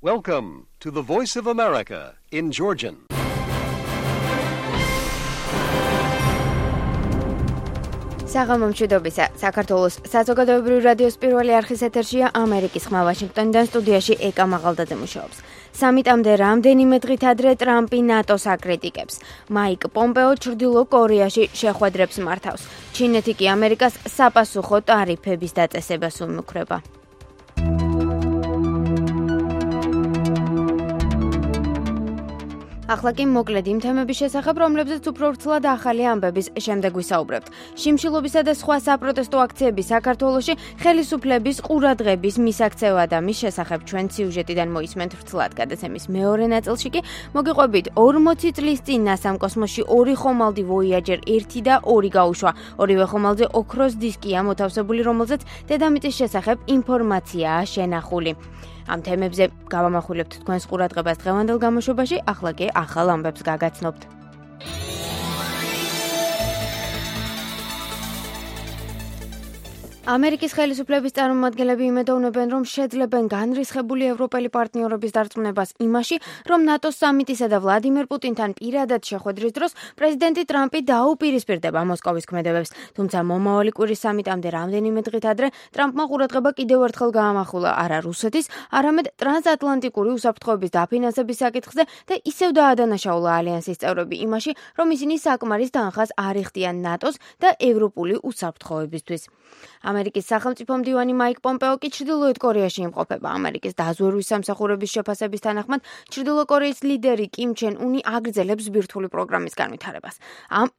Welcome to the Voice of America in Georgian. საღამომშვიდობისა, საქართველოს საზოგადოებრივი რადიოს პირველი არხის ეთერშია ამერიკის ხმა ვაშინგტონიდან სტუდიაში ეკა მაღალდაძე მუშაობს. სამიტამდე რამდენიმე დღით ადრე ტრამპი ნატოს აკრიტიკებს. მაიკ პომპეო ჩრდილო კორეაში შეხვედრებს მართავს. ჩინეთი კი ამერიკას საპასუხო ტარიფების დაწესებას უმუქრება. ახლა კი მოკლედ იმ თემების შესახებ, რომლებზეც უფრო ვრცლად ახალი ამბების შემდეგ ვისაუბრებთ. შიმშილობისა და სხვა საპროტესტო აქციების საქართველოში ხელისუფლების ყურადღების მისაქცევა და მის შესახებ ჩვენ სიუჟეტიდან მოისმენთ ვრცლად. გადაცემის მეორე ნაწილში კი მოგიყვებით 40 წლის წინ ნასამ კოსმოსში 2 ხომალდი ვოიაჯერ 1 და 2 გაუშვა. ორივე ხომალდზე ოქროს დისკია მოთავსებული, რომელზეც დედამიწის შესახებ ინფორმაციაა შენახული. ამ თემებზე გავამახვილებთ თქვენს ყურადღებას დღევანდელ გამოშვებაში, ახლა კი ახალ ამბებს გაგაცნობთ. ამერიკის ხელისუფლების წარმომადგენლები იმედოვნებენ, რომ შეძლებენ განრისხებული ევროპელი პარტნიორების დარწმუნებას იმაში, რომ ნატოს სამიტისა და ვლადიმერ პუტინთან პირადად შეხვედრის დროს პრეზიდენტი ტრამპი დაუპირისპირდება მოსკოვის ქმედებებს. თუმცა მომავალი კვირის სამიტამდე რამდენიმე დღით ადრე ტრამპმა ყურადღება კიდევ ერთხელ გაამახვილა არა რუსეთის, არამედ ტრანსატლანტიკური უსაფრთხოების დაფინანსების საკითხზე და ისევ დაადანაშაულა ალიანსის წევრები იმაში, რომ ისინი საკმარის თანხას არ იხდიან ნატოს და ევროპული უსაფრთხოებისთვის. ამერიკის სახელმწიფო მდივანი მაიკ პომპეო კი ჩრდილოეთ კორეაში იმყოფება. ამერიკის დაზვერვის სამსახურების შეფასების თანახმად ჩრდილო კორეის ლიდერი კიმ ჩენ უნი აგრძელებს ბირთვული პროგრამის განვითარებას.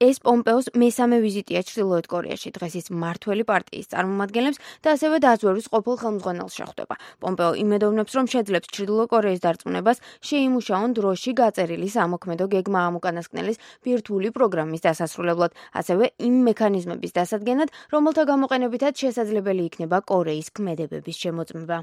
ეს პომპეოს მესამე ვიზიტია ჩრდილოეთ კორეაში. დღეს ის მმართველი პარტიის წარმომადგენლებს და ასევე დაზვერვის ყოფილ ხელმძღვანელს შეხვდება. პომპეო იმედოვნებს, რომ შეძლებს ჩრდილო კორეის დარწმუნებას შეიმუშაონ დროში გაწერილი სამოქმედო გეგმა ამ უკანასკნელის ბირთვული პროგრამის დასასრულებლად, ასევე იმ მექანიზმების დასადგენად, რომელთა გამოყენებითაც შესაძლებელი იქნება კორეის ქმედებების შემოწმება.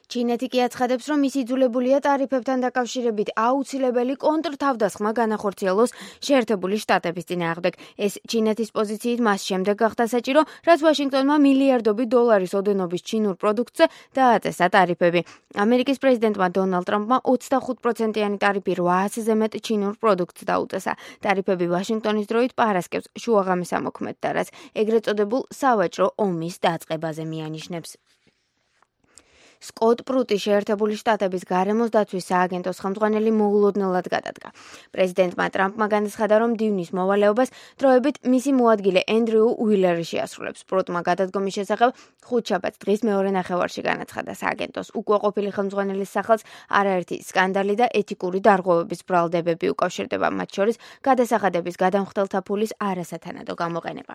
ჩინეთი კი აცხადებს, რომ ის იძულებულია ტარიფებთან დაკავშირებით აუცილებელი კონტრთავდასხმა განახორციელოს შეერთებული შტატების წინააღმდეგ. ეს ჩინეთის პოზიციით მას შემდეგ გახდა საჭირო, რაც ვაშინგტონმა მილიარდობით დოლარის ოდენობის ჩინურ პროდუქტზე დააწესა ტარიფები. ამერიკის პრეზიდენტმა დონალდ ტრამპმა 25%-იანი ტარიფი 800-ზე მეტ ჩინურ პროდუქტს დაუწესა. ტარიფები ვაშინგტონის დროით პარასკევს შუაღამის ამოქმედდა, რაც ეგრეთ წოდებულ სავაჭრო ომის დაწყებაზე მიანიშნებს. სკოტ პრუტი შეერთებული შტატების გარემოს დაცვის სააგენტოს ხელმძღვანელი მოულოდნელად გადადგა. პრეზიდენტმა ტრამპმა განაცხადა, რომ დივნის მოვალეობას დროებით მისი მოადგილე ენდრიუ უილერი შეასრულებს. პრუტმა გადადგომის შესახებ ხუთშაბათს დღის მეორე ნახევარში განაცხადა სააგენტოს უკუაყოფილი ხელმძღვანელის სახელს არაერთი სკანდალი და ეთიკური დარღვევების ბრალდებები უკავშირდება, მათ შორის გადასახადების გადამხდელთა ფულის არასათანადო გამოყენება.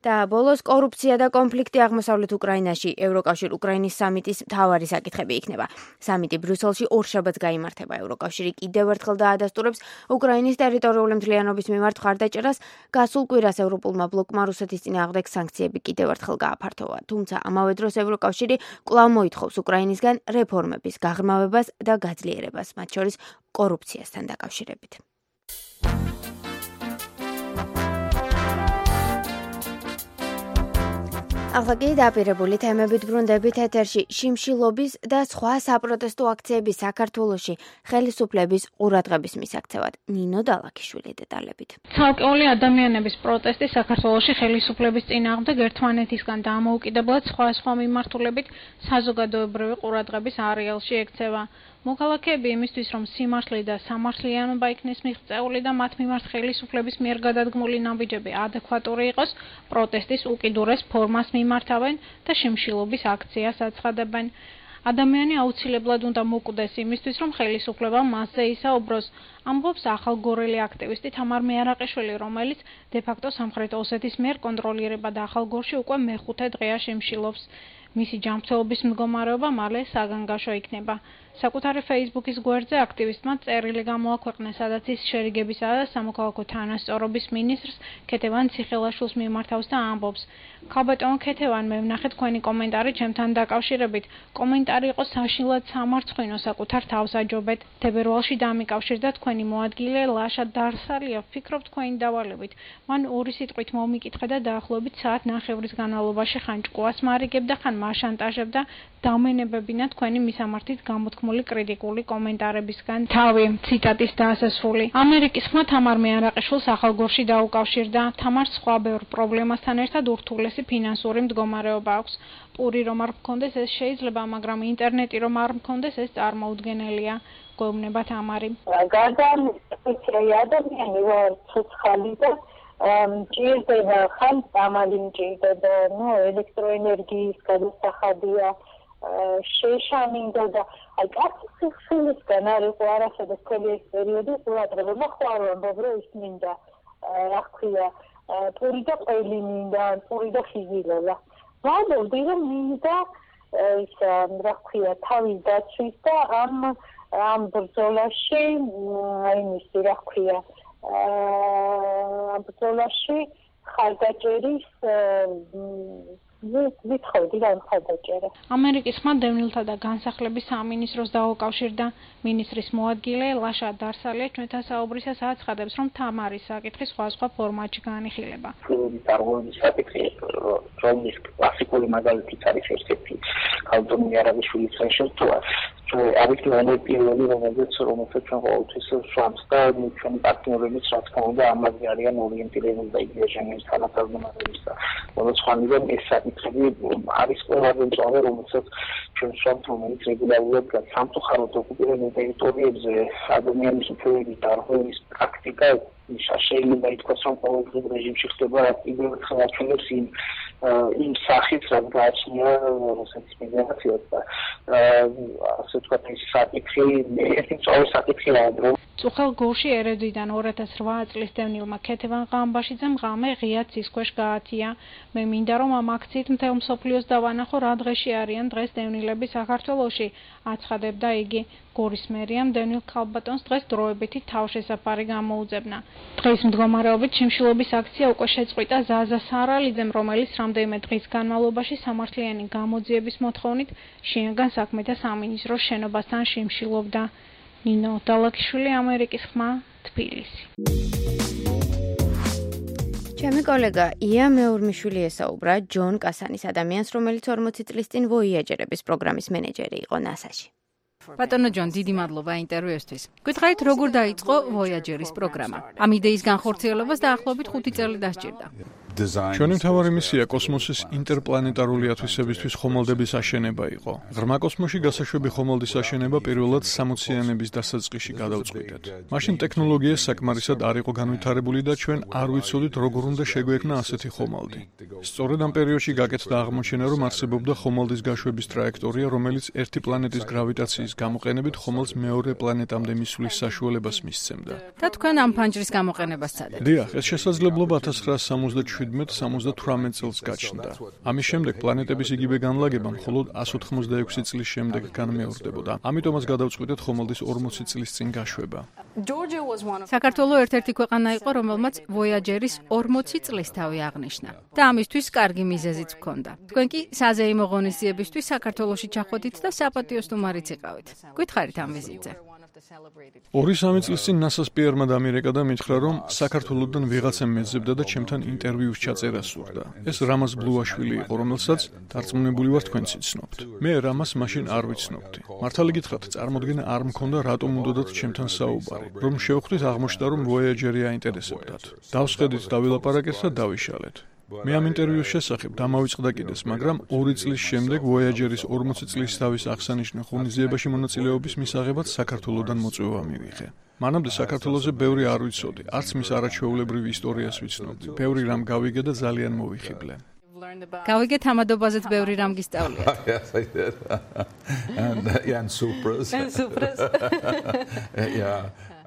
და ბოლოს კორუფცია და კონფლიქტი აღმოსავლეთ უკრაინაში. ევროკავშირ უკრაინის სამიტის მთავარი საკითხები იქნება. სამიტი ბრიუსელში ორშაბათს გაიმართება. ევროკავშირი კიდევ ერთხელ დაადასტურებს უკრაინის ტერიტორიული მთლიანობის მიმართ მხარდაჭერას. გასულ კვირას ევროპულმა ბლოკმა რუსეთის წინააღმდეგ სანქციები კიდევ ერთხელ გააფართოვა. თუმცა ამავე დროს ევროკავშირი კვლავ მოითხოვს უკრაინისგან რეფორმების გაღრმავებას და გაძლიერებას, მათ შორის კორუფციასთან დაკავშირებით. ახლა კი დაპირებული თემებით ბრუნდებით ეთერში. შიმშილობის და სხვა საპროტესტო აქციების საქართველოში ხელისუფლების ყურადღების მისაქცევად. ნინო დალაქიშვილი დეტალებით. ცალკეული ადამიანების პროტესტი საქართველოში ხელისუფლების წინააღმდეგ ერთმანეთისგან დამოუკიდებლად სხვა მიმართულებით საზოგადოებრივი ყურადღების არეალში ექცევა. მოქალაქეები იმისთვის, რომ სიმართლე და სამართლიანობა იქნეს მიღწეული და მათ მიმართ ხელისუფლების მიერ გადადგმული ნაბიჯები ადეკვატური იყოს, პროტესტის უკიდურეს ფორმას მიმართავენ და შიმშილობის აქციას აცხადებენ. ადამიანი აუცილებლად უნდა მოკვდეს იმისთვის, რომ ხელისუფლება მასზე ისაუბროს, ამბობს ახალგორელი აქტივისტი თამარ მეარაყიშვილი, რომელიც დე-ფაქტო სამხრეთ ოსეთის მიერ კონტროლირება და ახალგორში უკვე მეხუთე დღეა შიმშილობს. მისი ჯანმრთელობის მდგომარეობა მალე საგანგაშო იქნება. საკუთარი Facebook-ის გვერდზე აქტივისტმა წერილი გამოაქვეყნა, სადაც ის შერიგებისა და სამოქალაქო თანასწორობის მინისტრს ქეთევან ციხელაშვილს მიმართავს და ამბობს: "ქალბატონო ქეთევან, მე ვნახე თქვენი კომენტარი ჩემთან დაკავშირებით. კომენტარი იყო საშინლად სამარცხვინო, საკუთარ თავს აჯობეთ. თებერვალში დამიკავშირდა თქვენი მოადგილე ლაშა დარსალია, ვფიქრობ თქვენი დავალებით. მან ორი სიტყვით მომიკითხა და დაახლოებით საათ ნახევრის განმავლობაში ხან ჭკუას მარიგებ და ხან მაშანტაჟებდა დავმენებებინა თქვენი მისამართით გამოთქმული კრიტიკული კომენტარებისგან. თავი ციტატის დასასრული. ამერიკის ხმა თამარ მეარაყიშვილს ახალგორში დაუკავშირდა. თამარს სხვა ბევრ პრობლემასთან ერთად ურთულესი ფინანსური მდგომარეობა აქვს. პური რომ არ მქონდეს ეს შეიძლება, მაგრამ ინტერნეტი რომ არ მქონდეს ეს წარმოუდგენელია. გვეუბნება თამარი. გარდა ამისა, ადამიანი ვარ ცოცხალი და ჭირდება ხალხი მჭირდება, ელექტროენერგიის გადასახადია, შეშამინდა და აი კაცის სულისგან არ იყო არასოდეს მთელი ეს პერიოდი ყურადღება მოხარ ამბობ რომ ის მინდა რა ქვია პური და ყველი მინდა პური და ხიზილოლა ვამბობდი რომ მინდა ის რა ქვია თავის დაცვის და ამ ბრძოლაში აი მისი რა ქვია ამ ბრძოლაში ხალხაჭერის ვიცხოვდი რა ხალხაჭერა ამერიკის ხმა დევნილთა და განსახლების სამინისტროს დაუკავშირდა მინისტრის მოადგილე ლაშა დარსალია ჩვენთან საუბრისას აცხადებს რომ თამარის საკითხი სხვა ფორმატში განიხილება წარმოების საკითხი რომლის კლასიკური მაგალითიც არის ერთ-ერთი ქალბატონი არაბიშვილის შეშორტვა არის პირველი რომელზეც ჩვენ ყოველთვის ვსვამს და ჩვენი პარტნიორებიც რა თქმა უნდა ამაზე არიან ორიენტირებული და იგივე ჟენევის თანამდებობების და მოძღვარნიდან ეს საკითხები არის ყველაზე მწვავე რომელსაც ჩვენ ვსვამთ რომელიც რეგულარულად სამწუხაროდ ოკუპირებულ ტერიტორიებზე ადამიანის უფლებების დარღვევის პრაქტიკა შეიძლება ითქვას რომ ყოველდღიურ რეჟიმში ხდება იგივე ხელმძღვანელობს იმ სახით რაც გააჩნია რუსეთის ფედერაციას და ასე ვთქვათ ეს საკითხი ერთი მწვავე საკითხია რომ წუხელ გულში ერედვიდან 2008 წლის დევნილმა ქეთევან ღამბაშიძემ ღამე ღია ცის ქვეშ გაათია მე მინდა რომ ამ აქციით მთელ მსოფლიოს დავანახო რა დღეში არიან დღეს დევნილები საქართველოში აცხადებდა იგი გორის მერიამ დევნილ ქალბატონს დღეს დროებითი თავშესაფარი გამოუძებნა დღის მდგომარეობით შიმშილობის აქცია უკვე შეწყვიტა ზაზა სარალიძემ რომელიც რამდენიმე დღის განმავლობაში სამართლიანი გამოძიების მოთხოვნით შინაგან საქმეთა სამინისტროს შენობასთან შიმშილობდა ნინო დალაკიშვილი ამერიკის ხმა თბილისი ჩემი კოლეგა ია მეურმიშვილი ესაუბრა ჯონ კასანის ადამიანს რომელიც 40 წლის წინ ვოიაჯერების პროგრამის მენეჯერი იყო NASA-ში ბატონო ჯონ, დიდი მადლობა ინტერვიუსთვის. Გვითხარით, როგორ დაიწყო ვოიაჯერის პროგრამა? ამ იდეის განხორციელებას დაახლოებით 5 წელი დასჭირდა. ჩვენი მთავარი მისია კოსმოსის ინტერპლანეტარული ათვისებისთვის ხომალდების აშენება იყო. ღრმა კოსმოსში გასაშვები ხომალდის აშენება პირველად 60-იანების დასაწყისში გადავწყვიტეთ. მაშინ ტექნოლოგია საკმარისად არ იყო განვითარებული და ჩვენ არ ვიცოდით როგორ უნდა შეგვექმნა ასეთი ხომალდი. სწორედ ამ პერიოდში გაკეთდა აღმოჩენა, რომ არსებობდა ხომალდის გაშვების ტრაექტორია, რომელიც ერთი პლანეტის გრავიტაციის გამოყენებით ხომალდს მეორე პლანეტამდე მისვლის საშუალებას მისცემდა. და თქვენ ამ ფანჯრის გამოყენებას სცადეთ. დიახ, ეს შესაძლებლობა 1977 წელს გაჩნდა. ამის შემდეგ პლანეტების იგივე განლაგება მხოლოდ 186 წლის შემდეგ განმეორდებოდა. ამიტომაც გადავწყვიტეთ ხომალდის 40 წლის წინ გაშვება. საქართველო ერთ-ერთი ქვეყანა იყო, რომელმაც ვოიაჯერის 40 წლის თავი აღნიშნა. და ამისთვის კარგი მიზეზიც ჰქონდა. თქვენ კი საზეიმო ღონისძიებისთვის საქართველოში ჩახვედით და საპატიო სტუმარიც იყავით. გვითხარით ამ ვიზიტზე. 2-3 წლის წინ NASA-ს პიერმა დამირეკა და მითხრა, რომ საქართველოდან ვიღაცამ მეძებდა და ჩემთან ინტერვიუს ჩაწერა სურდა. ეს რამაზ ბლუაშვილი იყო, რომელსაც დარწმუნებული ვარ თქვენც იცნობთ. მე რამას მაშინ არ ვიცნობდი. მართალი გითხრათ, წარმოდგენა არ მქონდა რატომ უნდათ ჩემთან საუბარი. რომ შევხვდით, აღმოჩნდა, რომ ვოიაჯერი აინტერესებდათ. დავსხედით, დავილაპარაკეთ და დავიშალეთ. მე ამ ინტერვიუს შესახებ დამავიწყდა კიდეც, მაგრამ 2 წლის შემდეგ ვოიაჯერის 40 წლის თავის აღსანიშნავ ღონისძიებაში მონაწილეობის მისაღებად საქართველოდან მოწვევა მივიღე. მანამდე საქართველოზე ბევრი არ ვიცოდი, არც მის არაჩვეულებრივ ისტორიას ვიცნობდი. ბევრი რამ გავიგე და ძალიან მოვიხიბლე. გავიგეთ ამადობაზეც ბევრი რამ გისწავლიათ.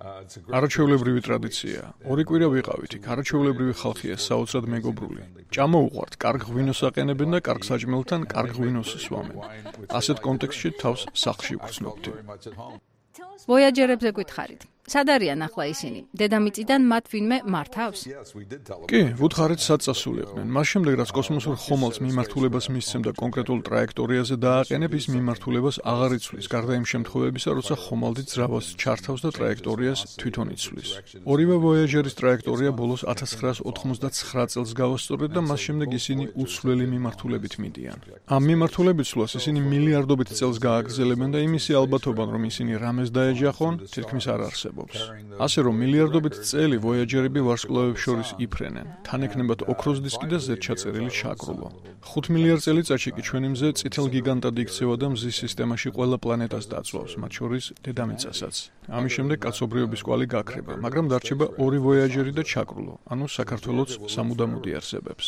არაჩვეულებრივი ტრადიცია. 2 კვირა ვიყავით იქ. არაჩვეულებრივი ხალხია, საოცრად მეგობრული. ჭამოუყვართ, კარგ ღვინოს აყენებენ და კარგ საჭმელთან კარგ ღვინოს სვამენ. ასეთ კონტექსტში თავს სახლში ვგრძნობდი. ვოიაჯერებზე გვითხარით. სად არიან ახლა ისინი? დედამიწიდან მათ ვინმე მართავს? კი, ვუთხარით სად წასულიყვნენ. მას შემდეგ რაც კოსმოსურ ხომალდს მიმართულებას მისცემდა კონკრეტულ ტრაექტორიაზე დააყენებ, ის მიმართულებას აღარ იცვლის, გარდა იმ შემთხვევებისა, როცა ხომალდი ძრავას ჩართავს და ტრაექტორიას თვითონ იცვლის. ორივე Voyager-ის ტრაექტორია ბოლოს 1999 წელს გავასწორეთ და მას შემდეგ ისინი უცვლელი მიმართულებით მიდიან. ამ მიმართულებით ცვლას ისინი მილიარდობით წელს გააგრძელებენ და იმისი ალბათობა, რომ ისინი რამეს დაეჯახონ, თითქმის არ არსებობს. ასე რომ მილიარდობით წელი Voyager-ები ვარსკვლავებს შორის იფრენენ. თან ექნებათ ოქროს დისკი და ზედჩაწერილი შაკრულო. 5 მილიარდ წელიწადში კი ჩვენი მზე წითელ გიგანტად იქცევა და მზის სისტემაში ყველა პლანეტას დაწვავს, მათ შორის დედამიწასაც. ამის შემდეგ კაცობრიობის კვალი გაქრება, მაგრამ დარჩება 2 Voyager-ი და ჩაკრულო, ანუ საქართველოც სამუდამოდ იარსებებს.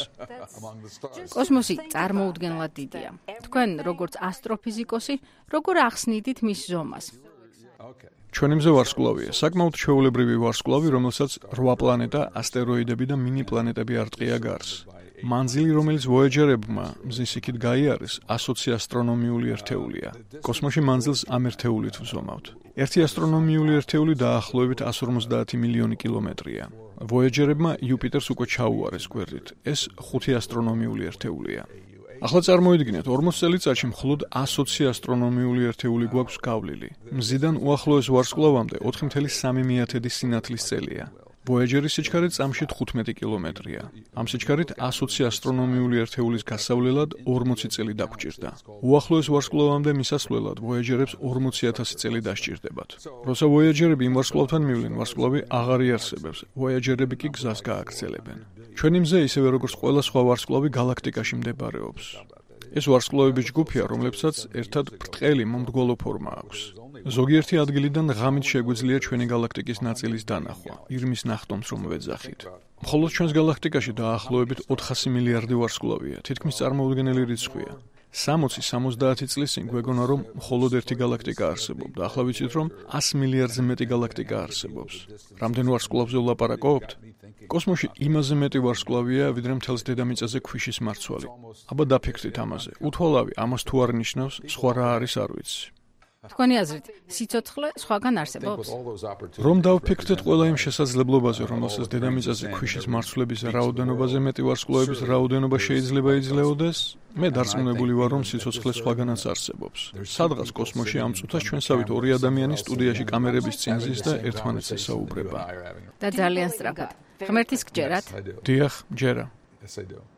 კოსმოსი წარმოუდგენლად დიდია. თქვენ, როგორც ასტროფიზიკოსი, როგორ ახსნიდით მის ზომას? ჩვენი მზე ვარსკვლავია, საკმაოდ ჩვეულებრივი ვარსკვლავი, რომელსაც 8 პლანეტა, ასტეროიდები და მინი პლანეტები არტყია გარს. მანძილი, რომელიც Voyager-ებმა მზის იქით გაიარეს, 120 ასტრონომიული ერთეულია. კოსმოსში მანძილს ამ ერთეულით ვზომავთ. ერთი ასტრონომიული ერთეული დაახლოებით 150 მილიონი კილომეტრია. Voyager-ებმა იუპიტერს უკვე ჩაუარეს გვერდით. ეს 5 ასტრონომიული ერთეულია. ახლა წარმოიდგინეთ, 40 წელიწადში მხოლოდ 120 ასტრონომიული ერთეული გვაქვს გავლილი. მზიდან უახლოეს ვარსკვლავამდე 4,3 სინათლის წელია. Voyager-ის სიჩქარე წამში 15 კილომეტრია. ამ სიჩქარით 120 ასტრონომიული ერთეულის გასავლელად 40 წელი დაგვჭირდა. უახლოეს ვარსკვლავამდე მისასვლელად Voyager-ებს 40,000 წელი დასჭირდებათ. როცა Voyager-ები იმ ვარსკვლავთან მივლენ, ვარსკვლავი აღარ იარსებებს. Voyager-ები კი გზას გააგრძელებენ. ჩვენი მზე, ისევე როგორც ყველა სხვა ვარსკვლავი, galaktikაში მდებარეობს. ეს ვარსკვლავების ჯგუფია, რომლებსაც ერთად ბრტყელი მომრგვალო ფორმა აქვს. ზოგიერთი ადგილიდან ღამით შეგვიძლია ჩვენი galaktikis ნაწილის დანახვა, ირმის ნახტომს რომ ვეძახით. მხოლოდ ჩვენს galaktikაში დაახლოებით 400 მილიარდი ვარსკვლავია, თითქმის წარმოუდგენელი რიცხვია. 60-70 წლის წინ გვეგონა, რომ მხოლოდ ერთი galaktika არსებობდა. ახლა ვიცით, რომ 100 მილიარდზე მეტი galaktika არსებობს. რამდენ ვარსკვლავზე ვლაპარაკობთ? კოსმოსში იმაზე მეტი ვარსკვლავია, ვიდრე მთელს დედამიწაზე ქვიშის მარცვალი. აბა დაფიქრდით ამაზე. უთვალავი ამას თუ არ ნიშნავს, სხვა რა არის არ ვიცი. თქვენი აზრით, სიცოცხლე სხვაგან არსებობს? რომ დავფიქრდეთ ყველა იმ შესაძლებლობაზე, რომელსაც დედამიწაზე ქვიშის მარცვლების რაოდენობაზე მეტი ვარსკვლავების რაოდენობა შეიძლება იძლეოდეს, მე დარწმუნებული ვარ, რომ სიცოცხლე სხვაგანაც არსებობს. სადღაც კოსმოსში ამ წუთას ჩვენსავით 2 ადამიანი სტუდიაში კამერების წინ ზის და ერთმანეთს ესაუბრება. და ძალიან სწრაფად. ღმერთის გჯერათ? დიახ, ჯერა.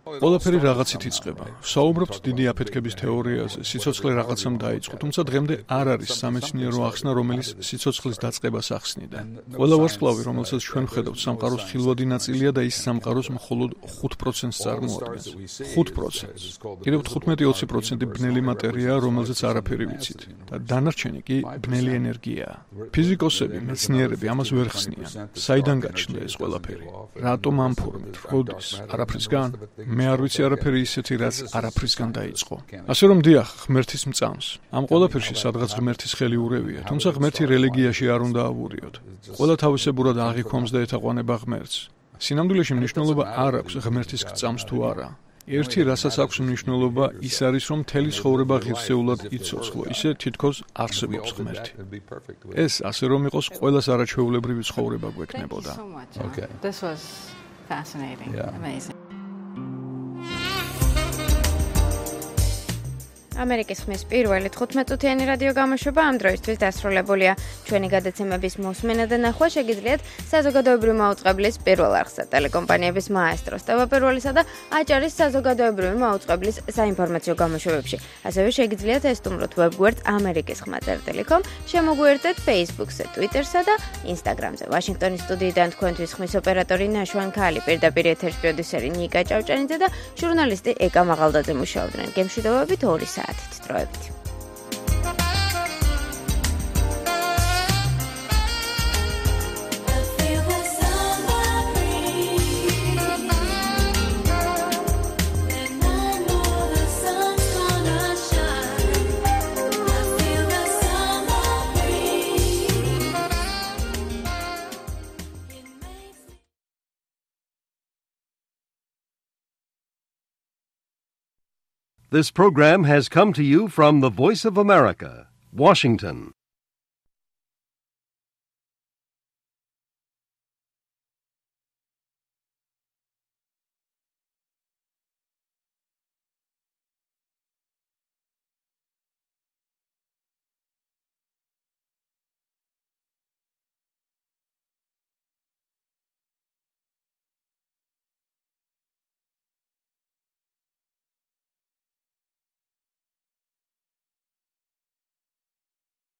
ყველაფერი რაღაცით იწყება. საუბრობთ დიდი აფეთქების თეორიაზე, სიცოცხლე რაღაცამ დაიწყო, თუმცა დღემდე არ არის სამეცნიერო ახსნა, რომელიც სიცოცხლის დაწყებას ახსნიდა. ყველა ვარსკვლავი, რომელსაც ჩვენ ვხედავთ, სამყაროს ხილვადი ნაწილია და ის სამყაროს მხოლოდ 5%-ს წარმოადგენს. 5%. კიდევ 15-20% ბნელი მატერიაა, რომელზეც არაფერი ვიცით და დანარჩენი კი ბნელი ენერგიაა. ფიზიკოსები, მეცნიერები ამას ვერ ხსნიან. საიდან გაჩნდა ეს ყველაფერი? რატომ ამ ფორმით? როდის? არაფრისგან? მე არ ვიცი არაფერი ისეთი, რაც არაფრისგან დაიწყო. ასე რომ დიახ, ღმერთის მწამს. ამ ყველაფერში სადღაც ღმერთის ხელი ურევია, თუმცა ღმერთი რელიგიაში არ უნდა ავურიოთ. ყველა თავისებურად აღიქვამს და ეთაყვანება ღმერთს. სინამდვილეში მნიშვნელობა არ აქვს ღმერთის გწამს თუ არა. ერთი რასაც აქვს მნიშვნელობა ის არის, რომ მთელი ცხოვრება ღირსეულად იცოცხლო, ისე თითქოს არსებობს ღმერთი. ეს ასე რომ იყოს, ყველას არაჩვეულებრივი ცხოვრება გვექნებოდა. Okay. This was fascinating. Yeah. Amazing. ამერიკის ხმის პირველი 15-წუთიანი რადიო გამოშვება ამ დროისთვის დასრულებულია. ჩვენი გადაცემების მოსმენა და ნახვა შეგიძლიათ საზოგადოებრივი მაუწყებლის პირველ არხსა, ტელეკომპანიების მაესტროს, ტელეპირველისა და აჭარის საზოგადოებრივი მაუწყებლის საინფორმაციო გამოშვებებში. ასევე შეგიძლიათ ესტუმროთ ვებგვერდს amerikisxma.com, შემოგვიერთდეთ Facebook-ზე, Twitter-სა და Instagram-ზე. ვაშინგტონის სტუდიიდან თქვენთვის ხმის ოპერატორი ნაშვან ქალი, პირდაპირ ეთერში პროდიუსერი ნიკა ჭავჭანიძე და ჟურნალისტი ეკა მაღალდაძე მუშაობდნენ. გემშვიდობებით 2 საათით დროებით. This program has come to you from the Voice of America, Washington.